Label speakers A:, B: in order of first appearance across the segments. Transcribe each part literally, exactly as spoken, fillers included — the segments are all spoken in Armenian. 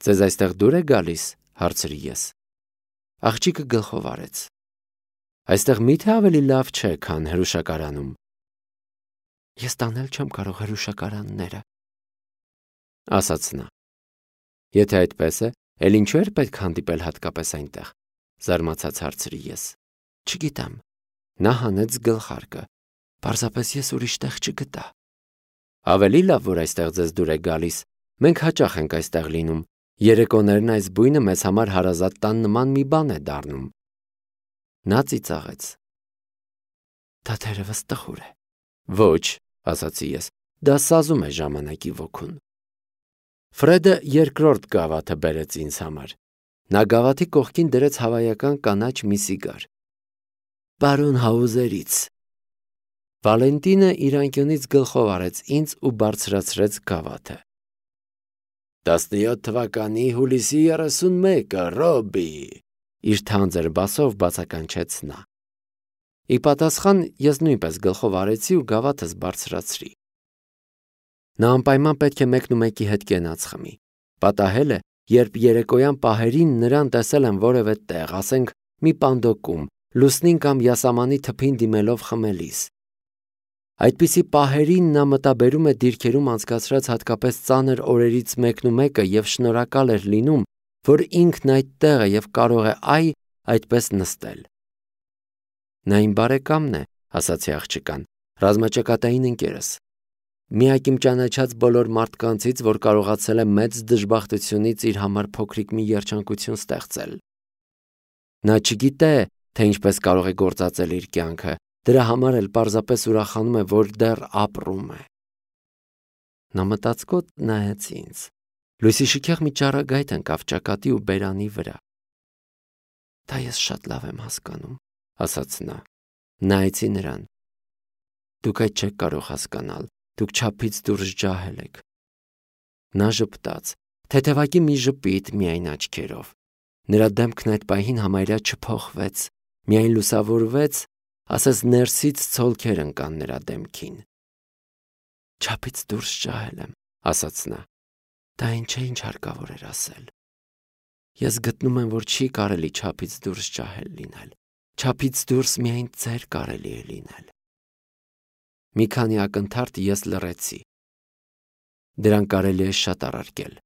A: Ձեզ այստեղ դուր է գալիս, հարցրի ես։ Աղջիկը գլխով արեց։ Այստեղ միթե ավելի լավ չէ, քան հրուշակարանում։ Ես տանել չեմ կարող հրուշակարանները, ասաց նա։ Եթե այդպես է, էլ ինչու էր պետք հանդիպել հատկապես այնտեղ, զարմացած հարցրի ես։ Չգիտեմ։ Նա հանեց գլխարկը։ Պարզապես ես ուրիշ տեղ չգտա։ Ավելի լավ, որ այստեղ ձեզ դուր է գալիս։ Մենք հաճախ ենք այստեղ լինում։ Երեկոներն այս բույնը մեզ համար հարազատ տան նման մի բան է դառնում։ Նա ծիծաղեց։ Դա թերևս տխուր է։ Ոչ, ասացի ես, դա սազում է ժամանակի ոգուն։ Ֆրեդը երկրորդ գավաթը բերեց ինձ համար։ Նա գավաթի կողքին դրեց հավայական կանաչ մի սիգար։ Պարոն Հաուզերից։ Վալենտինը իր անկյունից գլխով արեց ինձ ու բարձրացրեց գավաթը։ տասնյոթ թվականի հուլիսի երեսունմեկը, Ռոբի, իր թանձր բասով բացականչեց նա։ Ի պատասխան ես նույնպես գլխով արեցի ու գավաթս բարձրացրի։ Նա անպայման պետք է մեկնումեկի հետ կենաց խմի։ Պատահել է, երբ երեկոյան պահերին նրան տեսել եմ որևէ տեղ, ասենք մի պանդոկում, լուսնին կամ յասամանի թփին դիմելով խմելիս։ Այդպիսի պահերին նա մտաբերում է դիրքերում անցկացրած հատկապես ծանր օրերից մեկնումեկը և շնորհակալ էր լինում, որ ինքն այդտեղ է և կարող է այ այդպես նստել։ Նա իմ բարեկամն է, ասացի աղջկան, ռազմաճակատային ընկերս։ Միակ իմ ճանաչած բոլոր մարդկանցից, որ կարողացել է մեծ դժբախտությունից իր համար փոքրիկ մի երջանկություն ստեղծել։ Նա չգիտե, թե ինչպես կարող է գործածել իր կյանքը, դրա համար էլ պարզապես ուրախանում է, որ դեռ ապրում է։ Նա մտածկոտ նայեց ինձ։ Լույսի շքեղ մի ճառագայթ ընկավ ճակատի ու բերանի վրա։ Դա ես շատ լավ եմ հասկանում, ասաց նա։ Նայեցի նրան։ Դուք այդ չեք կարող հասկանալ, դուք չափից դուրս ջահել եք։ Նա ժպտաց, թեթևակի մի ժպիտ միայն աչքերով։ Նրա դեմքն այդ պահին համարյա չփոխվեց, միայն լուսավորվեց, ասես ներսից ցոլքեր ընկան նրա դեմքին։ Չափից դուրս ջահել եմ, ասաց նա։ Դա ինչ է, ինչ հարկավոր էր ասել։ Ես գտնում եմ, որ չի կարելի չափից դուրս ջահել լինել։ Չափից դուրս միայն ձեր կարելի է լինել։ Մի քանի ակնթարթ ես լռեցի։ Դրան կարելի է շատ առարկել,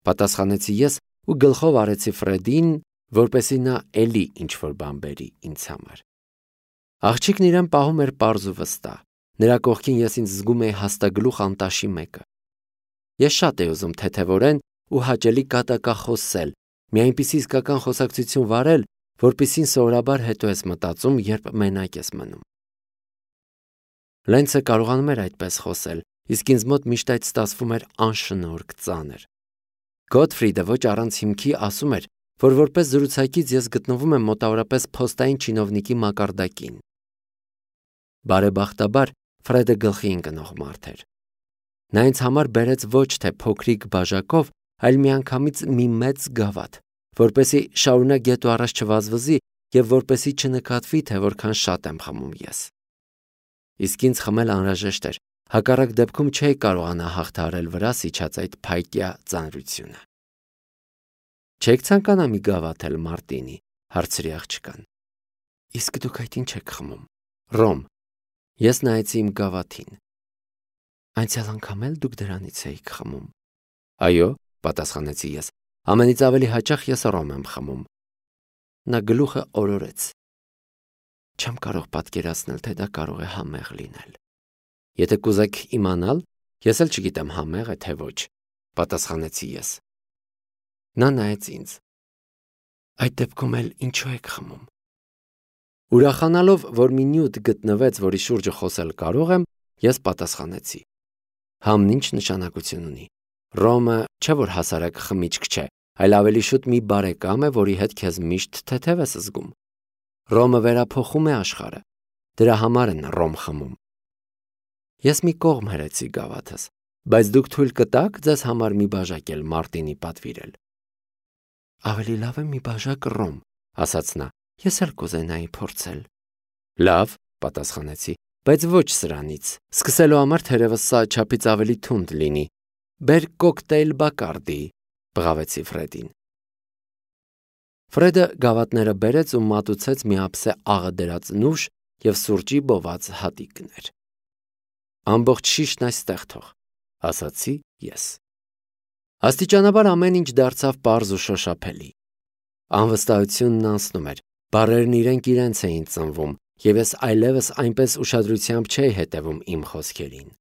A: պատասխանեցի ես ու գլխով արեցի Ֆրեդին, որպեսզի նա էլի ինչ-որ բան բերի ինձ համար։ Աղջիկն իրեն պահում էր պարզ ու վստահ։ Նրա կողքին ես ինձ զգում էի հաստագլուխ անտաշի մեկը։ Ես շատ էի ուզում թեթևորեն ու հաճելի կատակախոսել, մի այնպիսի իսկական խոսակցություն վարել, որպիսին սովորաբար հետո ես մտածում, երբ մենակ ես մնում։ Լենցը կարողանում էր այդպես խոսել, իսկ ինձ մոտ միշտ այդ ստացվում էր անշնորհք ծանր։ Գոթֆրիդը ոչ առանց հիմքի ասում էր, որ որպես զրուցակից ես գտնվում եմ մոտավորապես փոստային չինովնիկի մակարդակին։ Բարեբախտաբար Ֆրեդը գլխի ընկնող մարդ էր։ Նա ինձ համար բերեց ոչ թե փոքրիկ բաժակով, այլ միանգամից մի մեծ գավաթ, որպեսզի շարունակ գետ ու առաջ չվազվզի և որպեսզի չնկատվի, թե որքան շատ եմ խմում ես։ Իսկ ինձ խմել անհրաժեշտ էր, հակառակ դեպքում չէի կարողանա հաղթահարել վրաս իջած այդ փայտյա ծանրությունը։ Չեք ցանկանա մի գավաթ էլ, Մարտինի, հարցրի աղջկան։ Իսկ դուք այդ ինչ եք խմում։ Ռոմ։ Ես նայեցի իմ գավաթին։ Անցյալ անգամ էլ դուք դրանից էիք խմում։ Այո, պատասխանեցի ես, ամենից ավելի հաճախ ես ռոմ եմ խմում։ Նա գլուխը օրորեց։ Չեմ կարող պատկերացնել, թե դա կարող է համեղ լինել։ Եթե կուզեք իմանալ, ես էլ չգիտեմ համեղ է թե ոչ, պատասխանեցի ես։ Նա նայեց ինձ։ Այդ դեպքում էլ ինչու եք խմում։ Ուրախանալով, որ մի նյութ գտնվեց, որի շուրջը խոսել կարող եմ, ես պատասխանեցի։ Համն ինչ նշանակություն ունի։ Ռոմը չէ որ հասարակ խմիչք չէ, այլ ավելի շուտ մի բարեկամ է, որի հետ քեզ միշտ թեթև ես զգում։ Ռոմը վերափոխում է աշխարհը։ Դրա համար են ռոմ խմում։ Ես մի կողմ հրեցի գավաթս, բայց դուք թույլ կտաք ձեզ համար մի բաժակ էլ Մարտինի պատվիրել։ Ավելի լավ է մի բաժակ ռոմ, ասաց նա։ Ես էլ կուզենայի փորձել։ Լավ, պատասխանեցի, բայց ոչ սրանից։ Սկսելու համար թերևս սա չափից ավելի թունդ լինի։ Բեր կոկտեյլ Բակարդի։ բղավեցի Ֆրեդին։ Ֆրեդը գավաթները բերեց ու մատուցեց մի ափսե աղը դրած նուշ և սուրճի բոված հատիկներ։ Ամբողջ շիշն այստեղ թող, ասացի ես։ Աստիճանաբար ամեն ինչ դարձավ պարզ ու շոշափելի։ Անվստահությունն անցնում էր, բառերն իրենք իրենց էին ծնվում, և ես այլևս այնպես ուշադրությամբ չէի հետևում իմ խոսքերին։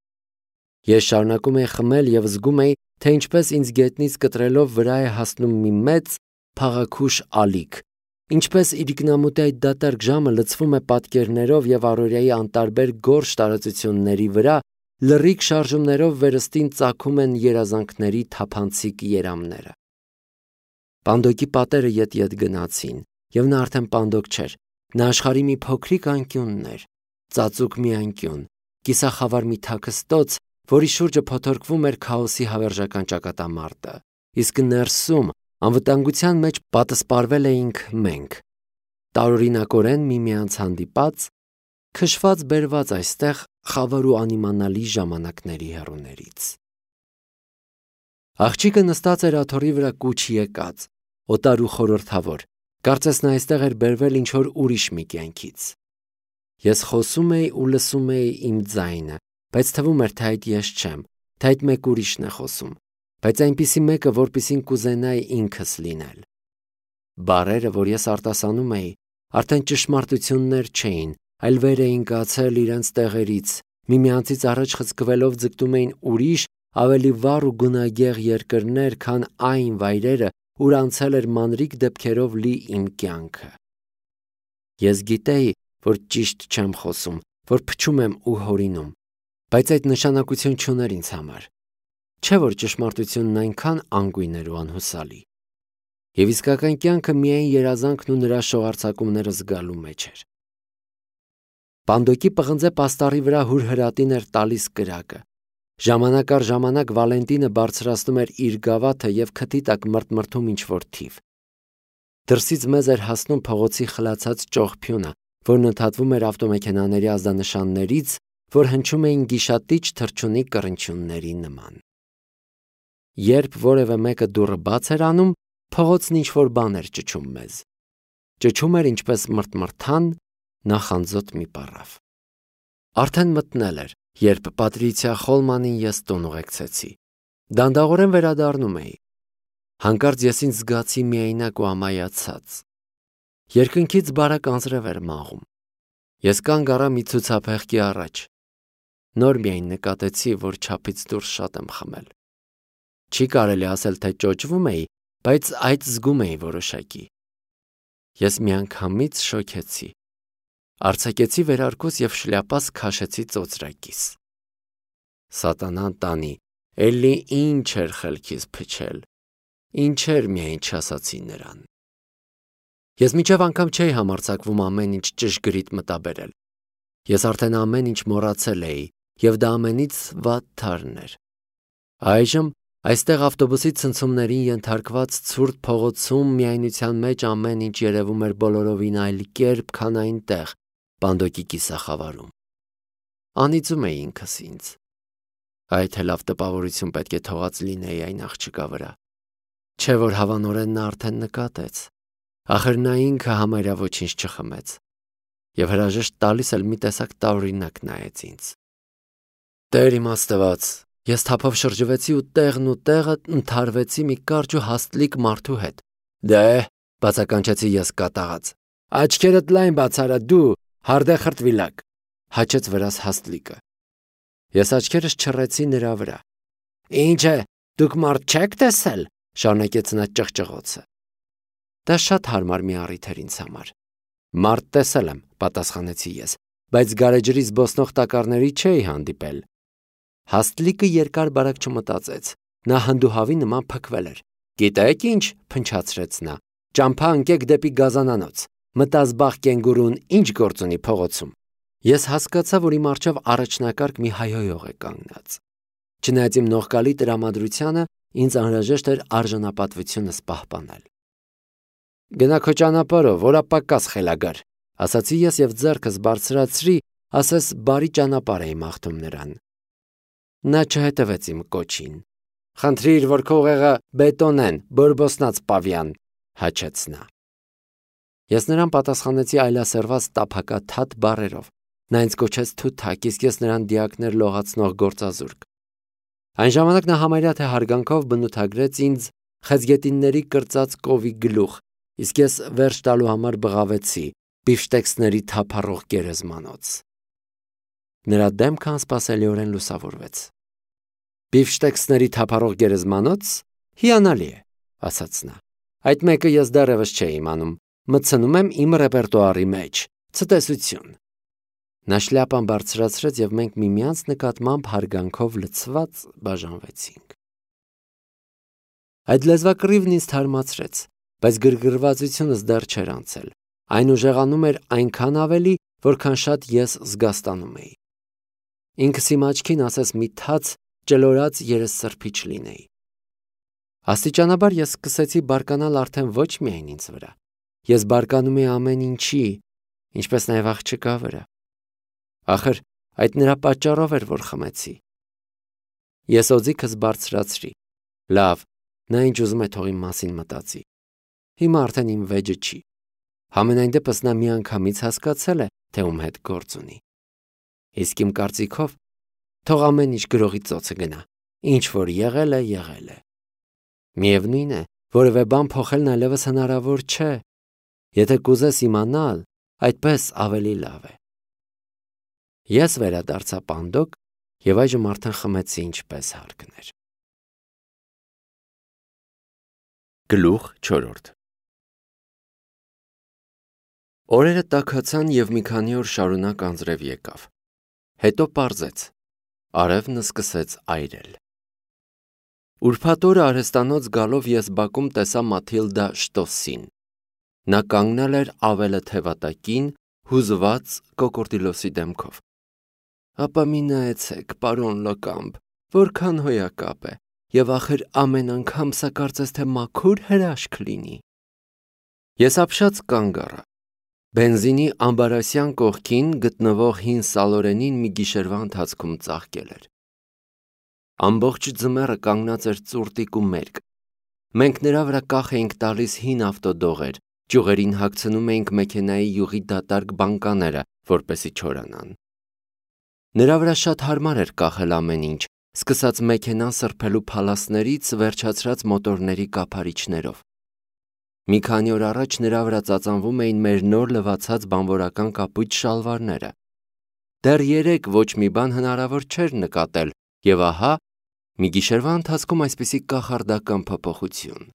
A: Ես շարունակում էի խմել և զգում էի, թե ինչպես ինձ գետնից կտրելով վրա է հասնում մի մեծ, փաղաքուշ ալիք, ինչպես իրիկնամուտի այդ դատարկ ժամը լցվում է պատկերներով և առօրյայի անտարբեր գորշ տարածությունների վրա լռիկ շարժումներով վերստին ծագում են երազանքների թափանցիկ երամները։ Պանդոկի պատերը ետ-ետ գնացին, և նա արդեն պանդոկ չէր, նա աշխարհի մի փոքրիկ անկյունն էր, ծածուկ մի անկյուն, կիսախավար մի թաքստոց, որի շուրջը փոթորկվում էր քաոսի հավերժական ճակատամարտը, իսկ ներսում անվտանգության մեջ պատսպարվել էինք մենք, տարօրինակորեն միմյանց հանդիպած, քշված-բերված այստեղ խավար ու անիմանալի ժամանակների հեռուներից։ Աղջիկը նստած էր աթոռի վրա կուչ եկած, օտար ու խորհրդավոր, կարծես նա այստեղ էր բերվել ինչ-որ ուրիշ մի կյանքից։ Ես խոսում էի ու լսում էի իմ ձայնը, բայց թվում էր, թե այդ ես չեմ, թե այդ մեկ ուրիշն է խոսում, բայց այնպիսի մեկը, որպիսին կուզենայի ինքս լինել։ Բառերը, որ ես արտասանում էի, արդեն ճշմարտություններ չէին, այլ վեր էին կացել իրենց տեղերից, միմյանցից առաջ խցկվելով ձգտում էին ուրիշ, ավելի վառ ու գունագեղ երկրներ, քան այն վայրերը, ուր անցել էր մանրիկ դեպքերով լի իմ կյանքը։ Ես գիտեի, որ ճիշտ չեմ խոսում, որ փչում եմ ու հորինում, բայց այդ նշանակություն չուներ ինձ համար, չէ՞ որ ճշմարտությունն այնքան անգույն էր ու անհուսալի։ Եվ իսկական կյանքը միայն երազանքն ու նրա շողարցակումները զգալու մեջ էր։ Պանդոկի պղնձե պաստառի վրա հուրհրատին էր տալիս կրակը։ Ժամանակ առ ժամանակ Վալենտինը բարձրացնում էր իր գավաթը և քթի տակ մրթմրթում ինչ-որ թիվ։ Դրսից մեզ էր հասնում փողոցի խլացած ճողփյունը, որն ընդհատվում էր ավտոմեքենաների ազդանշաններից, որ հնչում էին գիշատիչ թռչունի կռնչյունների նման։ Երբ որևէ մեկը դուռը բաց էր անում, փողոցն ինչ-որ բան էր ճչում մեզ։ Ճչում էր ինչպես մրթմրթան նախանձոտ մի պառավ։ Արդեն մթնել էր, երբ Պատրիցիա Խոլմանին ես տուն ուղեկցեցի։ Դանդաղորեն վերադառնում էի։ Հանկարծ ես ինձ զգացի միայնակ ու ամայացած։ Երկնքից բարակ անձրև էր մաղում։ Ես կանգ առա մի ցուցափեղկի առաջ։ Նոր միայն նկատեցի, որ չափից դուրս շատ եմ խմել։ Չի կարելի ասել, թե ճոճվում էի, բայց այդ զգում էի որոշակի։ Ես միանգամից շոքեցի։ Արձակեցի վերարկուս և շլյապաս քաշեցի ծոծրակիս։ Սատանան տանի, էլի ինչ էր խելքիս փչել, ինչեր միայն չասացի նրան։ Ես մինչև անգամ չէի համարձակվում ամեն ինչ ճշգրիտ մտաբերել։ Ես արդեն ամեն ինչ մոռացել էի, և դա ամենից վատ թարն էր։ Այժմ այստեղ ավտոբուսի ցնցումներին ենթարկված ցուրտ փողոցում միայնության մեջ ամեն ինչ երևում էր բոլորովին այլ կերպ, քան այնտեղ, Պանդոկի կիսախավարում։ Անիծում էի ինքս ինձ։ Այ թե լավ տպավորություն պետք է թողած լինեի այն աղջկա վրա։ Չէ՞ որ հավանորեն նա արդեն նկատեց։ Ախր նա ինքը համարյա ոչինչ չխմեց։ Եվ հրաժեշտ տալիս էլ մի տեսակ տարօրինակ նայեց ինձ։ Տեր իմ Աստված, ես թափով շրջվեցի ու տեղն ու տեղը ընդհարվեցի մի կարճ ու հաստլիկ մարդու հետ։ Դե, բացականչեցի ես կատաղած։ Աչքերդ լայն բացարա դու, հարդե խրտվիլակ, հաչեց վրաս հաստլիկը։ Ես աչքերս չռեցի նրա վրա։ Ինչ է, դուք մարդ չեք տեսել, շարունակեց նա ճղճղոցը։ Դա շատ հարմար մի առիթ էր ինձ համար։ Մարդ տեսել եմ, պատասխանեցի ես, բայց գարեջրի զբոսնող տակառների չէի հանդիպել։ Հաստլիկը երկար բարակ չմտածեց։ Նա հանդուհավի նման փքվել էր։ Գիտեք ինչ, փնչացրեց նա, ճամփա ընկեք դեպի գազանանոց։ Մտազբաղ կենգուրուն ինչ գործ ունի փողոցում։ Ես հասկացա, որ իմ առջև առաջնակարգ մի հայհոյող է կանգնած։ Չնայած իմ նողկալի տրամադրությանը, ինձ անհրաժեշտ էր արժանապատվությունս պահպանել։ Գնա քո ճանապարհով, որապակաս խելագար, ասացի ես և ձեռքս բարձրացրի, ասես բարի ճանապարհ էի մաղթում նրան։ Նա չհետևեց իմ կոչին։ Խնդրիր, որ քո ուղեղը բետոնեն, բորբոսնած պավյան, հաչեց նա։ Ես նրան պատասխանեցի այլասերված տափակաթաթ բառերով։ Նա ինձ կոչեց թութակ, իսկ ես նրան դիակներ լողացնող գործազուրկ։ Այն ժամանակ նա համարյա թե հարգանքով բնութագրեց ինձ խեցգետինների կրծած կովի գլուխ, իսկ ես վերջ տալու համար բղավեցի բիֆշտեքսների թափառող գերեզմանոց։ Նրա դեմքը անսպասելիորեն լուսավորվեց։ Բիֆշտեքսների թափառող գերեզմանոց, հիանալի է, ասաց նա։ Այդ մեկը ես դեռևս չէի իմանում, մտցնում եմ իմ ռեպերտուարի մեջ, ցտեսություն։ Նա շլյապան բարձրացրեց և մենք միմյանց նկատմամբ հարգանքով լցված բաժանվեցինք։ Այդ լեզվակռիվն ինձ թարմացրեց, բայց գրգռվածությունս դեռ չէր անցել։ Այն ուժեղանում էր այնքան ավելի, որքան շատ ես զգաստանում էի։ Ինքս իմ աչքին ասես մի թաց ճլորած երեսսրբիչ լինեի։ Աստիճանաբար ես սկսեցի բարկանալ արդեն ոչ միայն ինձ վրա։ Ես բարկանում էի ամեն ինչի, ինչպես նաև աղջկա վրա։ Ախր այդ նրա պատճառով էր, որ խմեցի։ Ես օձիքս բարձրացրի։ Լավ, նա ինչ ուզում է թող իմ մասին մտածի։ Հիմա արդեն իմ վեճը չի։ Համենայն դեպս նա միանգամից հասկացել է, թե ում հետ գործ ունի։ Իսկ իմ կարծիքով թող ամեն ինչ գրողի ծոցը գնա, ինչ որ եղել է, եղել է։ Միևնույն է, որևէ բան փոխելն այլևս հնարավոր չէ։ Եթե կուզես իմանալ, այդպես ավելի լավ է։ Ես վերադարձա պանդոկ և այժմ արդեն խմեցի ինչպես հարկն էր։ Գլուխ չորրորդ։ Օրերը տաքացան և մի քանի օր շարունակ անձրև եկավ։ Հետո պարզեց։ Արևն սկսեց այրել։ Ուրբաթ օրը արհեստանոց գալով ես բակում տեսա Մաթիլդա Շտոսին։ Նա կանգնել էր ավելը թևատակին, հուզված կոկորդիլոսի դեմքով։ Ապա մի նայեցեք, պարոն Լոկամպ, որքան հոյակապ է, և ախր ամեն անգամ սա կարծես թե մաքուր հրաշք լինի։ Ես ապշած կանգ առա։ Բենզինի ամբարասյան կողքին գտնվող հին սալորենին մի գիշերվա ընթացքում ծաղկել էր։ Ամբողջ ձմեռը կանգնած էր ծուրտիկ ու մերկ։ Մենք նրա վրա կախ էինք տալիս հին ավտոդողեր, ճյուղերին հագցնում էինք մեքենայի յուղի դատարկ բանկաները, որպեսզի չորանան։ Նրա վրա շատ հարմար էր կախել ամեն ինչ, սկսած մեքենան սրբելու փալասներից, վերջացրած մոտորների կափարիչներով։ Մի քանի օր առաջ նրա վրա ծածանվում էին մեր նոր լվացած բանվորական կապույտ շալվարները։ Դեռ երեկ ոչ մի բան հնարավոր չէր նկատել, և ահա մի գիշերվա ընթացքում այսպիսի կախարդական փոփոխություն։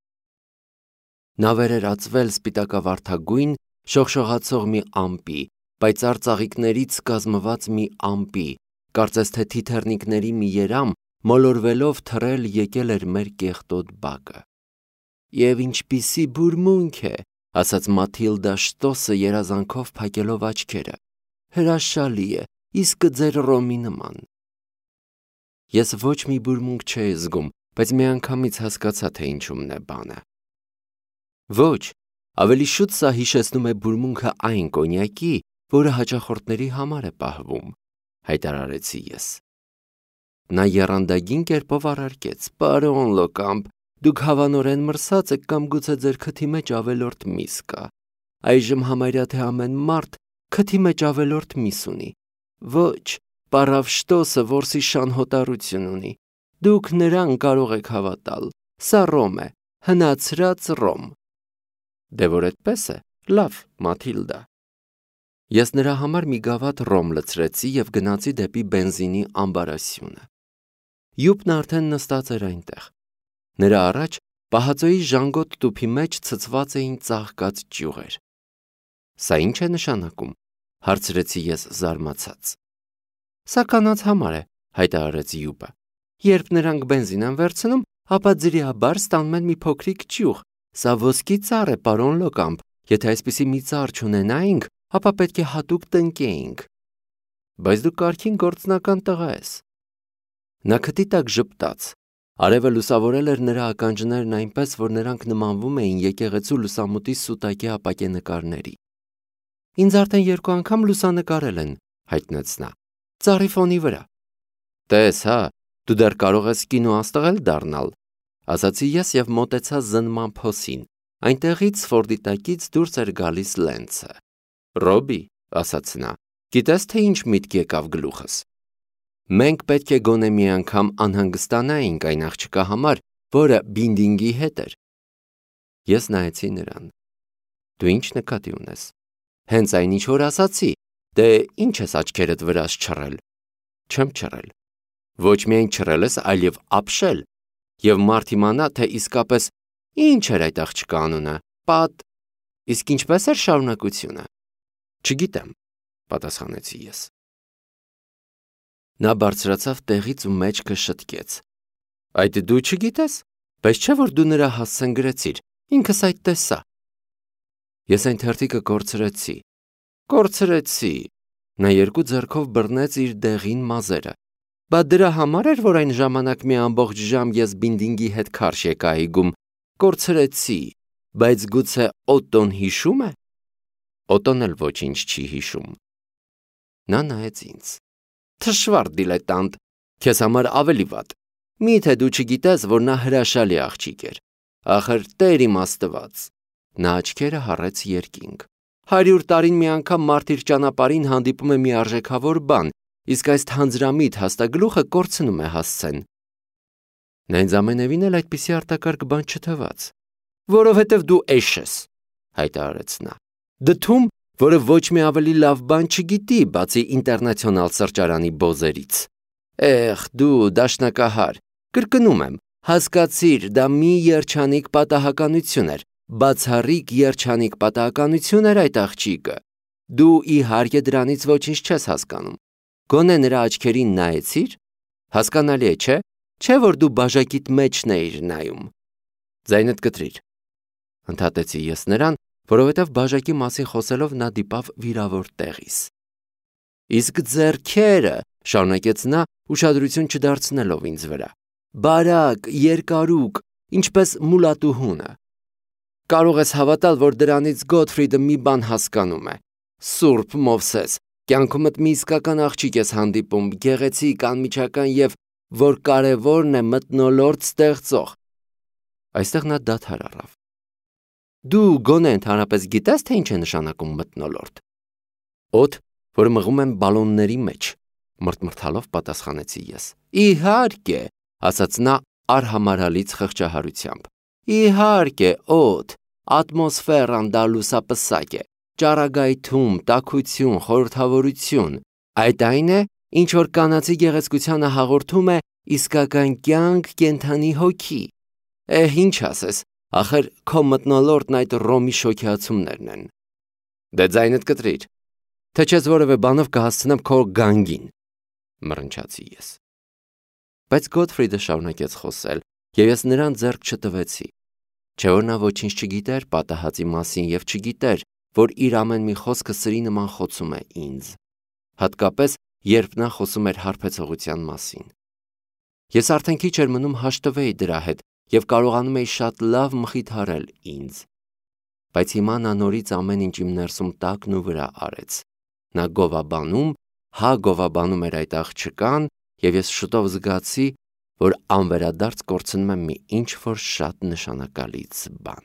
A: Նա վեր էր ածվել սպիտակավարդագույն, շողշողացող մի ամպի, պայծառ ծաղիկներից կազմված մի ամպի, կարծես թե թիթեռնիկների մի երամ մոլորվելով թռել եկել էր մեր կեղտոտ բակը։ Եվ ինչպիսի բուրմունք է, ասաց Մաթիլդա Շտոսը երազանքով փակելով աչքերը։ Հրաշալի է, իսկ ձեր Ռոմի նման։ Ես ոչ մի բուրմունք չէի զգում, բայց միանգամից հասկացա, թե ինչումն է բանը։ Ոչ, ավելի շուտ սա հիշեցնում է բուրմունքը այն կոնյակի, որը հաճախորդների համար է պահվում, հայտարարեցի ես։ Նա եռանդագին կերպով առարկեց. Պարոն Լոկամպ, դուք հավանորեն մրսած եք կամ գուցե ձեր քթի մեջ ավելորդ միս կա։ Այժմ համարյա թե ամեն մարդ քթի մեջ ավելորդ միս ունի։ Ոչ, պարավ Շտոսը որսի շանհոտառություն ունի։ Դուք նրան կարող եք հավատալ։ Սա Ռոմ է, հնացրած Ռոմ։ Դե որ այդպես է, լավ, Մաթիլդա։ Ես նրա համար մի գավաթ ռոմ լցրեցի և գնացի դեպի բենզինի ամբարասյունը։ Յուպն արդեն նստած էր այնտեղ։ Նրա առաջ պահածոյի ժանգոտ տուփի մեջ ցցված էին ծաղկած ճյուղեր։ Սա ինչ է նշանակում, հարցրեցի ես զարմացած։ Սա կանանց համար է, հայտարարեց Յուպը։ Երբ նրանք բենզին են վերցնում, ապա ձրիաբար ստանում են մի փոքրիկ ճյուղ։ Սա ոսկի ծառ է, պարոն Լոկամպ, եթե այսպիսի մի ծառ չունենայինք, ապա պետք է հատուկ տնկեինք։ Բայց դու կարգին գործնական տղա ես։ Նա քթի տակ ժպտաց։ Արևը լուսավորել էր նրա ականջներն այնպես, որ նրանք նմանվում էին եկեղեցու լուսամուտի սուտակի ապակե նկարների։ Ինձ արդեն երկու անգամ լուսանկարել են, հայտնեց նա։ Ծառի ֆոնի վրա։ Տես, հա, Դու դեռ կարող ես կինոաստղել դառնալ, ասացի ես եւ մոտեցա զննման փոսին, այնտեղից Ֆորդի տակից դուրս էր գալիս Լենցը։ Ռոբի, ասաց նա, գիտես թե ինչ միտք եկավ գլուխս։ Մենք պետք է գոնե մի անգամ անհանգստանայինք այն աղջկա համար, որը Բինդինգի հետ էր։ Ես նայեցի նրան։ Դու ինչ նկատի ունես։ Հենց այն ինչ որ ասացի, դե ինչ ես աչքերդ վրաս չռել։ Չեմ չռել։ Ոչ միայն չռել ես, այլև ապշել։ Եվ մարդ իմանա, թե իսկապես ինչ էր այդ աղջկա անունը, Պատ, իսկ ինչպես էր շարունակությունը։ Չգիտեմ, պատասխանեցի ես։ Նա բարձրացավ տեղից ու մեջքը շտկեց։ Այդ դու չգիտես, բայց չէ որ դու նրա հասցեն գրեցիր, ինքս այդ տեսա։ Ես այն թերթիկը կորցրեցի։ Կորցրեցի։ Նա երկու ձեռքով բռնեց իր դեղին մազերը։ Բա դրա համար էր, որ այն ժամանակ մի ամբողջ ժամ ես Բինդինգի հետ քարշ եկա այգում։ Կորցրեցի, բայց գուցե Օտոն հիշում է։ Օտոն էլ ոչինչ չի հիշում։ Նա նայեց ինձ։ Թշվառ դիլետանտ, քեզ համար ավելի վատ։ Միթե դու չգիտես, որ նա հրաշալի աղջիկ էր։ Ախր Տեր իմ Աստված։ Նա աչքերը հառեց երկինք։ Հարյուր տարին մի անգամ մարդ իր ճանապարհին հանդիպում է մի արժեքավոր բան, իսկ այս թանձրամիտ հաստագլուխը կորցնում է հասցեն։ Նա ինձ ամենևին էլ այդպիսի արտակարգ բան չթվաց։ Որովհետև դու էշ ես, հայտարարեց նա։ Դդում, որը ոչ մի ավելի լավ բան չգիտի, բացի ինտերնացիոնալ սրճարանի բոզերից։ Էխ, դու դաշնակահար, կրկնում եմ, հասկացիր, դա մի երջանիկ պատահականություն էր, բացառիկ երջանիկ պատահականություն էր այդ աղջիկը։ Դու իհարկե դրանից ոչինչ չես հասկանում։ Գոնե նրա աչքերին նայեցիր։ Հասկանալի է, չէ՞, չէ՞ որ դու բաժակիդ մեջն էիր նայում։ Ձայնդ կտրիր։ Ընդհատեցի ես նրան, որովհետև բաժակի մասին խոսելով նա դիպավ վիրավոր տեղիս։ Իսկ ձեռքերը, շարունակեց նա, ուշադրություն չդարձնելով ինձ վրա։ Բարակ, երկարուկ, ինչպես մուլատուհունը։ Կարող ես հավատալ, որ դրանից Գոթֆրիդը մի բան հասկանում է։ Սուրբ Մովսես, կյանքումդ մի իսկական աղջիկ ես հանդիպում, գեղեցիկ, անմիջական եւ որ կարևորն է մթնոլորտ ստեղծող։ Այստեղ նա դադար առավ։ Դու գոնե ընդհանրապես գիտես, թե ինչ է նշանակում մթնոլորտ։ Օդ, որ մղում են բալոնների մեջ, մրթմրթալով պատասխանեցի ես։ Իհարկե, ասաց նա արհամարհալից խղճահարությամբ։ Իհարկե, օդ, ատմոսֆերան դա լուսապսակ է, ճառագայթում, տաքություն, խորհրդավորություն։ Այդ այն է, ինչ որ կանացի գեղեցկությանը հաղորդում է իսկական կյանք, կենդանի հոգի։ Էհ, ինչ ասես, ախր քո մթնոլորտն այդ Ռոմի շոքեացումներն են։ Դե ձայնդ կտրիր, թե չես որևէ բանով կհասցնեմ քո գանգին, մռնչացի ես։ Բայց Գոթֆրիդը շարունակեց խոսել, եւ ես նրան ձեռք չտվեցի։ Չէ որ նա ոչինչ չգիտեր պատահածի մասին եւ չգիտեր, որ իր ամեն մի խոսքը սրի նման խոցում է ինձ, հատկապես երբ նա խոսում էր հարբեցողության մասին։ Ես արդեն քիչ էր մնում հաշտվեի դրա հետ եւ կարողանում էի շատ լավ մխիթարել ինձ։ Բայց հիմա նա նորից ամեն ինչ իմ ներսում տակն ու վրա արեց։ Նա գովաբանում, հա գովաբանում էր այդ աղջկան, եւ ես շուտով զգացի, որ անվերադարձ կորցնում եմ մի ինչ-որ շատ նշանակալից բան։